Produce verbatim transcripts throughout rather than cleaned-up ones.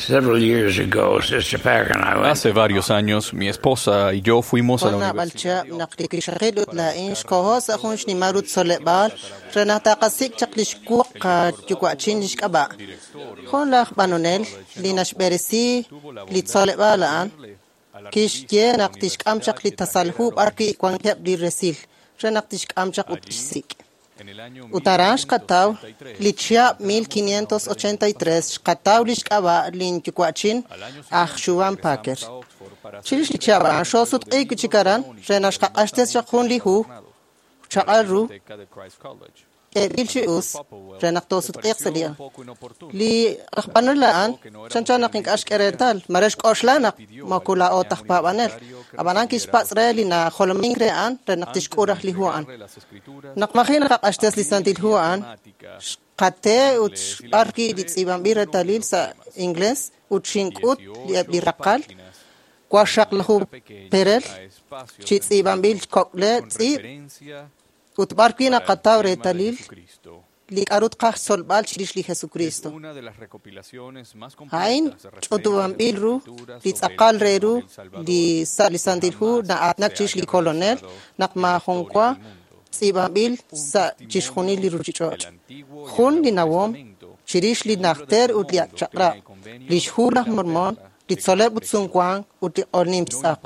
Several years ago, Sister Packer and I went. Hace varios años, mi esposa y yo fuimos a la Jun naab'al universidad. chihab' naq li wixaqil ut laa'in xkoho sa' jun xnimal ru tzoleb'aal re naq taqasik' chaq li xwuq qayuwa'chin li xk'ab'a'. Jun laj b'anonel li naxb'eresi li tzoleb'aal a'an kixye naq tixk'am chaq li tasal hu b'arwi' wankeb' li resil re naq tixk'am chaq ut tixsik'. Ut aran xqataw li chihab' mil quinientos ochenta y tres xqataw li xk'ab'a' linyuwa'chin aj Xuan Packer. Chirix li chihab' a'an xoosutq'iik wi' chik aran re naq xqaq'axtes chaq jun li hu chaq'al ru k'eeb'il chi us re naq toosutq'iiq sa' li li aj b'anonel a'an chanchan naq ink'a' xk'e reetal mare xk'oxla naq moko laa'o taj paab'anel ab'anan kixpatz' re li najolomink re a'an re naq tixk'ul raj li hu a'an. Naq maji' naqaq'axtes li Santil Hu a'an xqate ut xb'arwi' li tz'iib'anb'il reetalil sa' inglés ut xink'ut li eb' li raqal waqxaqlaju perel chi tz'iib'anb'il kok'le tz'iib' ut b'arwi' naqataw reetalil li k'a'ru tqaj xtzolb'al chirix li Jesucristo. A'in ch'utub'anb'il ru li tz'aqal re ru li sa' li Santil Hu na'aatinak chirix li Kolonel naq maajun wa tz'iib'anb'il sa' chixjunil li ruchich'och'. Jun li nawom chirix li najter ut li ak' chaq'rab', li xhu laj Mormon, li tzol'leb' ut sumwank ut li q'olnim tz'aq.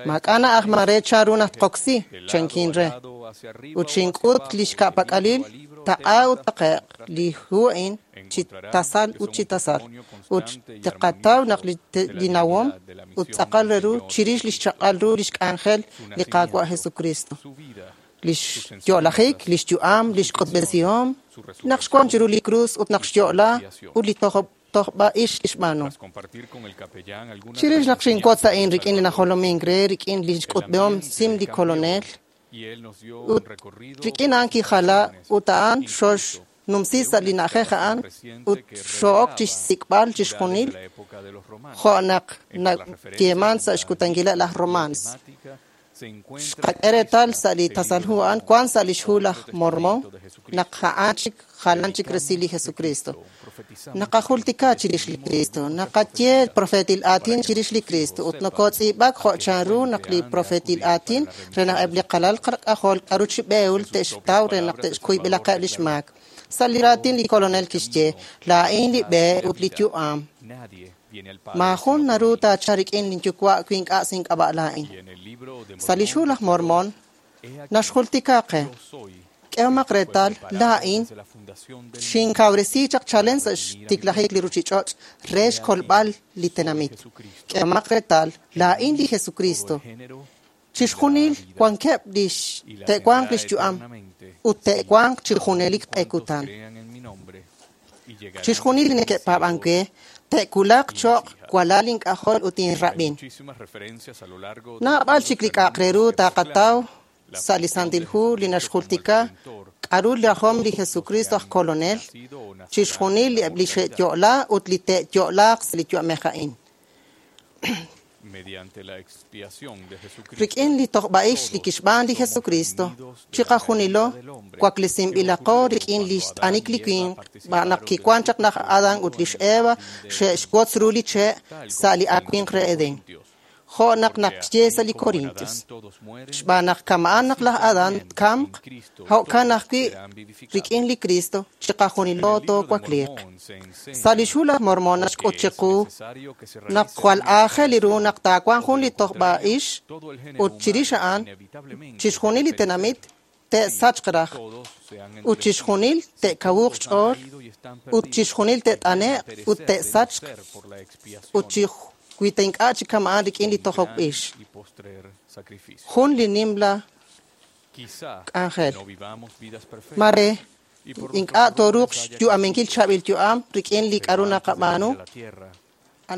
Maak'a' na'ajman re chanru naq tqoksi, chankin re. Ut xink'ut li xka'pak'alil taq'a ut taqe'q li hu a'in chi tasal ut chi tasal. Ut tqataw naq li, li nawom ut tz'aqal re ru chirix li xchaq'al ru li xk'anjel li Qaawa' Jesucristo. Li xyo'lajik, li xyu'am, li xk'utb'esihom, naq xwank chiru li krus ut naq xyo'la ut li tojob tojb'a'ix li xb'aanu. Chirix naq xinwotz a'in rik'in li najolomink re rik'in li xk'utb'ehom sim li Kolonel ut rik'in a'an kijala ut a'an xoxnumsi sa' li na'ajej a'an ut xo'ok chixsik'b'al chixjunil jo' naq nayeeman sa' xkutankileb' laj Romans. Xqak'e reetal sa' li tasal hu a'an wank sa' li xhu laj Mormon naq a'an chik jalan chik resil li Jesucristo. Naqajultika chirix li Cristo, naqaye profeetil aatin chirix li Cristo ut nokotz'iib'ak jo' chanru naq li profeetil aatin re naq eb' li qalal k'ajol k'aru chi b'ehul te'xtaw re naq te'xkuyb'ilaqeb' li xmaak. Sa' li raatin li Kolonel kixye, laa'in li b'e ut li yu'am. Maajun naru taachalq rik'in linyuwa' wi ink'a' sa' ink'ab'a' laa'in. Sa' li xhu laj Mormon naxjultika qe, k'ehomaq reetal laa'in xinkawresi chaq chalen sa' xtiklajik li ruchich'och' re xkolb'al li tenamit. K'ehomaq reetal laa'in li Jesucristo. Chixjunil wankeb' li te'wanq li xyu'am ut te'wanq chi junelik q'e kutan. Chixjunil li neke'paab'ank we te'wulaq cho'q walal ink'ajol ut inrab'in. Naab'al chik li k'a'aq re ru taqataw sa' li Santil Hu li naxjultika k'a'ru rajom li Jesucristo aj Kolonel, chixjunil eb' li xe'yo'la ut li te'yo'laaq sa' li yu'amej a'in. Rik'in li tojb'a'ix li kixb'aan li Jesucristo, chiqajunilo waklesinb'ilaqo rik'in li xt'anik li winq, b'aan naq kiwank chaq laj Adán ut lix Eva xe'xwotz ru li che' sa' li awimq re Edén. Jo' naq naqye sa' li Corintios. Xb'aan naq kama'an naq laj Adán tkamq, jo'kan ajwi' rik'in li Cristo chiqajunilo toowakliiq. Sa' li xhu laj Mormon naxk'ut chiqu naq jwal aajel ru naq taawanq jun li tojb'a'ix ut chirix a'an chixjunil li tenamit te'sachq raj ut chixjunil te'kawuq xch'ool ut chixjunil te't'ane'q ut te'sachq ut chi wi ta ink'a' chik kama'an rik'in li tojok ix. Jun li nimla k'anjel. Mare ink'a' tooruuq xyu'aminkil chaab'il yu'am rik'in li k'a'ru naqab'aanu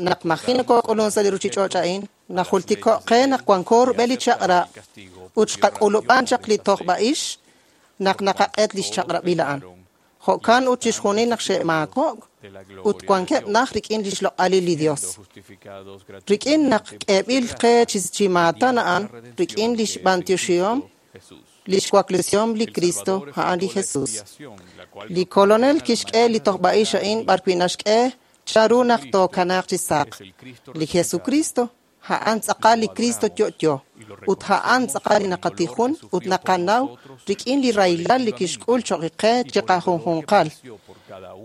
naq maji' nokok'ulun sa' li ruchich'och' a'in, najultiko' qe naq wanko rub'el li chaq'rab' ut xqak'ulub'an chaq li tojb'a'ix naq naqaq'et li xchaq'rab'il a'an. Jo'kan ut chixjunil naq xe'maako'k ut wankeb' naj rik'in li xloq'alil li Dios. Rik'in naq k'eeb'il qe chi maatan a'an, rik'in li xb'antioxihom, li xwaklesihom li Cristo a'an li Jesus. Li Kolonel kixk'e li tojb'a'ix a'in b'arwi' naxk'e Chanru naq tookanaaq chi saq? Li Jesucristo a'an tz'aqal li Cristo yo'yo, ut a'an tz'aqal li naqatijun ut naqanaw rik'in li rahilal li kixk'ul choq' qe chiqajunjunqal,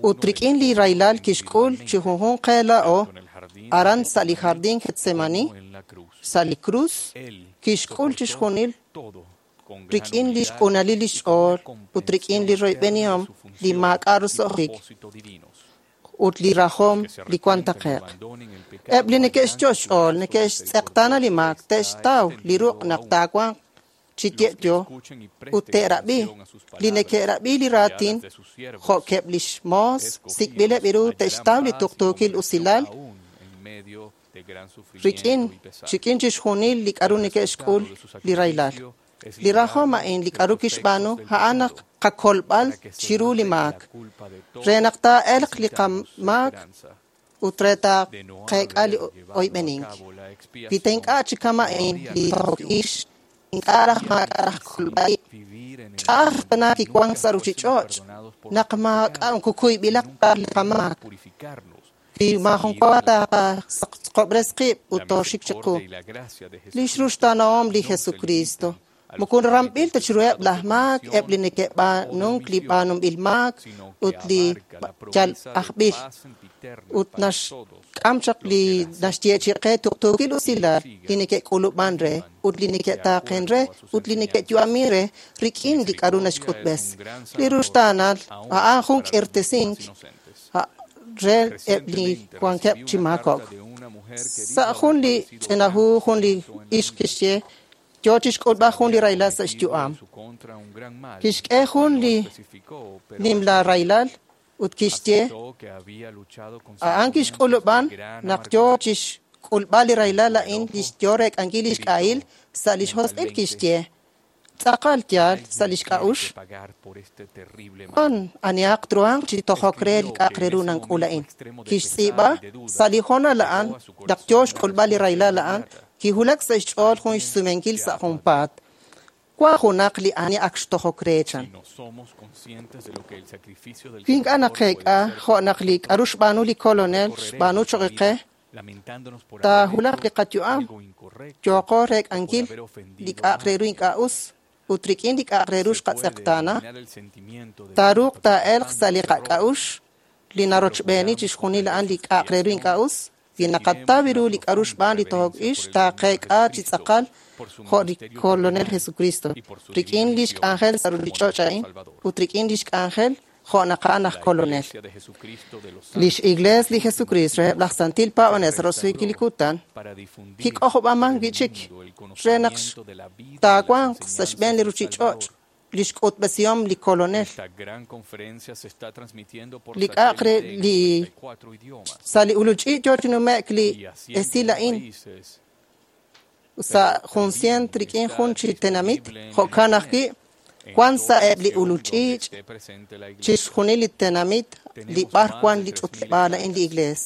ut rik'in li rahilal kixk'ul chi junjunq qe laa'o aran sa' li jardín Getsemani, sa' li krus, kixk'ul chixjunil rik'in lix q'unalil lix ch'ool ut rik'in li royb'enihom li maak'a' roso'jik ut li rajom li wan taqe'q. Eb' li neke'xyo' xch'ool neke'xtz'eqtaana li maak te'xtaw li ruq' naq taawanq chi ye'yo ut te'rab'i li neke'rab'i li raatin jo'keb' lix moos sik'b'ileb' ru te'xtaw li tuqtuukil usilal rik'in rik'in chixjunil li k'a'ru neke'xk'ul li rahilal. Li rajom a'in li k'a'ru kixb'aanu a'an naq qakolb'al chiru li maak, re naq taa'elq li qamaak ut re taaqeek'a li oyb'enink. Wi ta ink'a' chi kama'in li tojok ix, ink'a' raj maak'a' raj kolb'a-ib'. Ch'a'aj tana kiwank sa' ruchich'och' naq maak'a' kukuyb'ilaq ta li qamaak. Wi maajun wa taaqasaqob'res qib' ut tooxik chiqu. Lix ruxtaanahom li Jesucristo moko ramb'il ta chiruheb' laj maak, eb' li neke'b'aanunk li b'aanunb'il maak ut li yal ajb'il ut naxk'am chaq li naxyeechi'i qe tuqtuukil usilal li neke'k'ulub'an re ut li neke'taaqen re ut li neke'yu'amin re rik'in li k'a'ru naxk'utb'es. Li ruxtaanal a'an jun k'irtesink re eb' li wankeb' chi maakok'. Sa' jun li ch'ina hu jun li ixq kixye yo chixk'ulb'al jun li rahilal sa' xyu'am. Kixk'e jun li nimla rahilal ut kixye a'an kixk'ulub'an naq yo chixk'ulb'al li rahilal a'in lix yo reek'ankil lix k'ahil sa' lix josq'il kixye tz'aqal yaal sa' lix k'a'uxl wan anihaq truhanq chi tojok re li k'a'aq re ru nank'ul a'in. Kixtz'iib'a sa' li hoonal a'an naq yo xk'ulb'al li rahilal a'an kiwulak sa' xch'ool jun xsumenkil sa' junpaat. Wan junaq li ani ak xtojok re chan. Wi ink'a' naqeek'a jo' naq li k'a'ru xb'aanu li Kolonel xb'aanu choq' qe, taahulaq li qayu'am yooqo reek'ankil li k'a'aq re ru ink'a' us ut rik'in li k'a'aq re ru xqatz'eqtaana, taaruuq taa'elq sa' li qak'a'uxl li narochb'eeni chixjunil a'an li k'a'aq re ru ink'a' us. Wi naqataw ru li k'a'ru xb'aan li tojok ix, taaqeek'a chi tz'aqal jo' li Kolonel Jesucristo, rik'in lix k'anjel sa' ruchich'och' a'in ut rik'in lix k'anjel jo' naq a'an aj Kolonel. Lix Iglees li Jesucristo reheb' laj Santil Paab'anel sa' roso'jikil li kutan kik'ojob'aman wi'chik re naq taawanq sa' xb'een li ruchich'och' lix k'utb'esihom li Kolonel. Li k'a'aq re li sa' li ululch'iich' yoo chi nume'k li esil a'in sa' jun cient rik'in jun chi tenamit, jo'kan ajwi' wan sa' eb' li ululch'iich' chixjunil li tenamit li b'ar wan li ch'utleb'aal a'in li Iglees.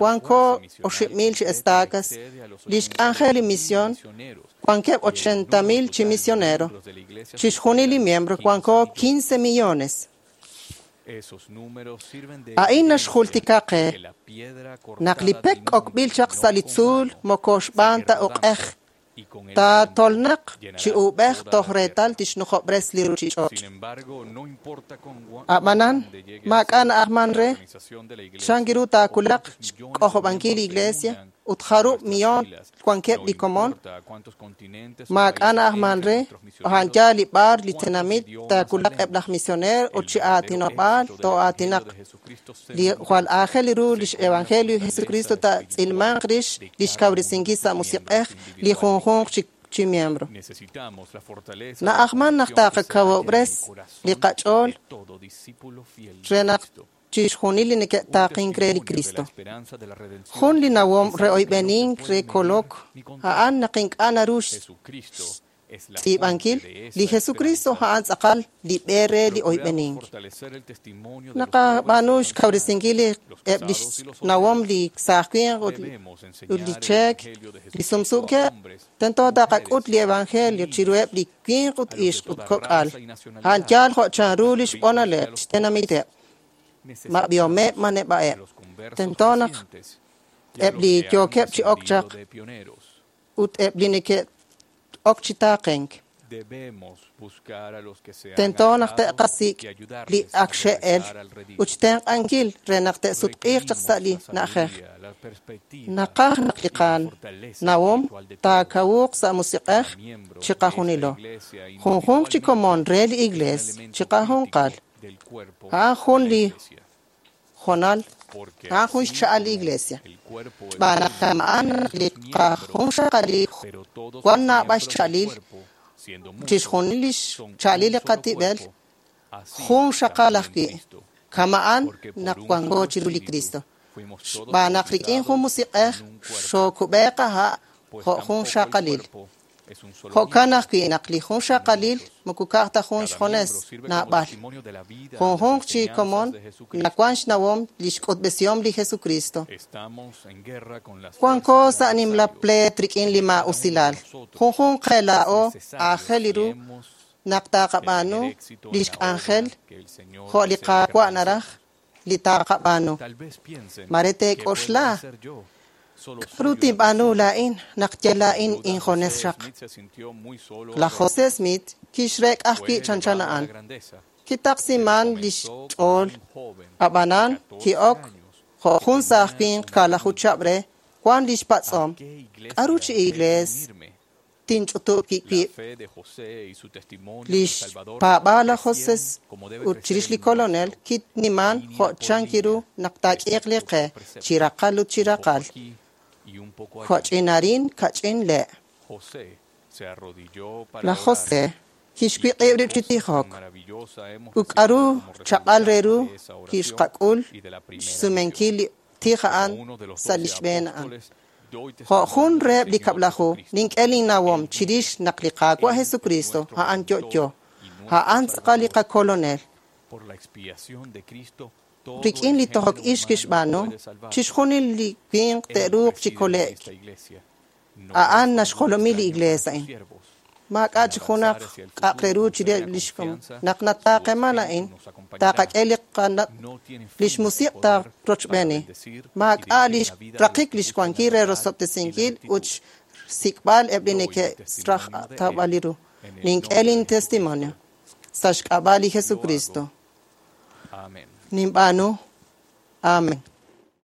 Wanko oxib' mil chi estacas, lix k'anjel li misión, wankeb' ochenta mil chi misionero, chixjunil li miembro wanko quince millones. A'in naxjultika qe naq li pek k'okb'il chaq sa' li tzuul moko xb'aan ta uq'ej, taatolnaq chi uub'ej toj reetal tixnujob'res li ruchich'och'. A'b'anan, maak'a' na'ajman re chan ru taawulaq xk'ojob'ankil li Iglesia ut jarub' millón wankeb' li komon, maak'a' na'ajman re a'an yaal li b'ar li tenamit taawulaq eb' laj misioneer ut chi aatinob'aal too'aatinaq. Li jwal aajel ru lix Evangelio Jesucristo taatz'ilmanq rix lix kawresinkil sa' musiq'ej li junjunq chi chi miembro. Na'ajman naq taaqakawob'res li qach'ool re naq chixjunil li neke'taaqink re li Cristo. Jun li nawom re oyb'enink re kolok a'an naq ink'a' naru xtz'iib'ankil li Jesucristo a'an tz'aqal li b'e re li oyb'enink. Naqab'aanu xkawresinkil eb' lix nawom li saaj winq ut li cheek li sumsuukeb', tento taqak'ut li Evangelio chiruheb' li winq ut ixq ut kok'al, a'an yaal jo' chanru lix b'onaleb' xtenamiteb'. Ma b'ihomeb', ma neb'a'eb'. Tento naq eb' li yookeb' chi ok chaq ut eb' li neke'ok chi taaqenk. Tento naq te'qasik' li ak xe'el ut xtenq'ankil re naq te'sutq'iiq chaq sa' li na'ajej. Naqaj naq li qanawom taakawuuq sa' musiq'ej chiqajunilo. Junjunq chi komon re li Iglees chiqajunqal. A'an jun li jonal, a'an jun xcha'al li Iglesia. Xb'aan naq kama'an naq li qajunxaqalil wan naab'al xcha'alil, chixjunil li xcha'alil li qatib'el jun xaqal ajwi', kama'an naq wanko chiru li Cristo. Xb'aan naq rik'in jun musiq'ej xookub'e qaha' jo' jun xaqalil. Jo'kan ajwi' naq li jun xaqalil moko ka'aj ta jun xjones naab'al. Junjunq chi komon nawan xnawom li xk'utb'esihom li Jesucristo. Wanko sa' nimla pleet rik'in li maa'usilal. Junjunq qe laa'o aajel ru naq taqab'aanu lix k'anjel jo' li Qaawa' naraj li taqab'aanu. Mare teek'oxla k'aru tinb'aanu laa'in naq yal laa'in injones xaq. Laj José Smith kixreek'a ajwi' chanchan a'an. Kitaqsiman lix ch'ool, ab'anan ki'ok jo' jun saaj winq kaalaju chihab' re wan lix patz'om k'aru chi iglees tinch'utub' wib'. Lix paab'aal laj José ut chirix li Kolonel kitniman jo' chan kiru naq taak'iiq li qe chi raqal ut chi raqal. Jo'ch'in arin kach'in le'. Laj José kixwiq'ib' rib' chi tijok. Ut k'aru chaq'al re ru kixqak'ul xsumenkil li tij a'an sa' li xb'een a'an. Jo' jun reheb' li kab'laju nink'e linnawom chirix naq li Qaawa' Jesucristo a'an yo'yo, a'an tz'aqal li qakolonel. Rik'in li tojok ix kixb'aanu, chixjunil li winq te'ruuq chi kole'k. A'an naxjolomi li Iglees a'in. Maak'a' chi junaq k'a'aq re ru chire lix komon. Naq nataaqeman a'in, taqak'e li qana lix musiq' taarochb'eeni. Maak'a' lix raqik lix wankil re rosob'tesinkil ut xsik'b'al eb' li neke'raj tawb'al li ru. Nink'e lin testimonio sa' xk'ab'a' li Jesucristo. Ninb'aanu. Amen.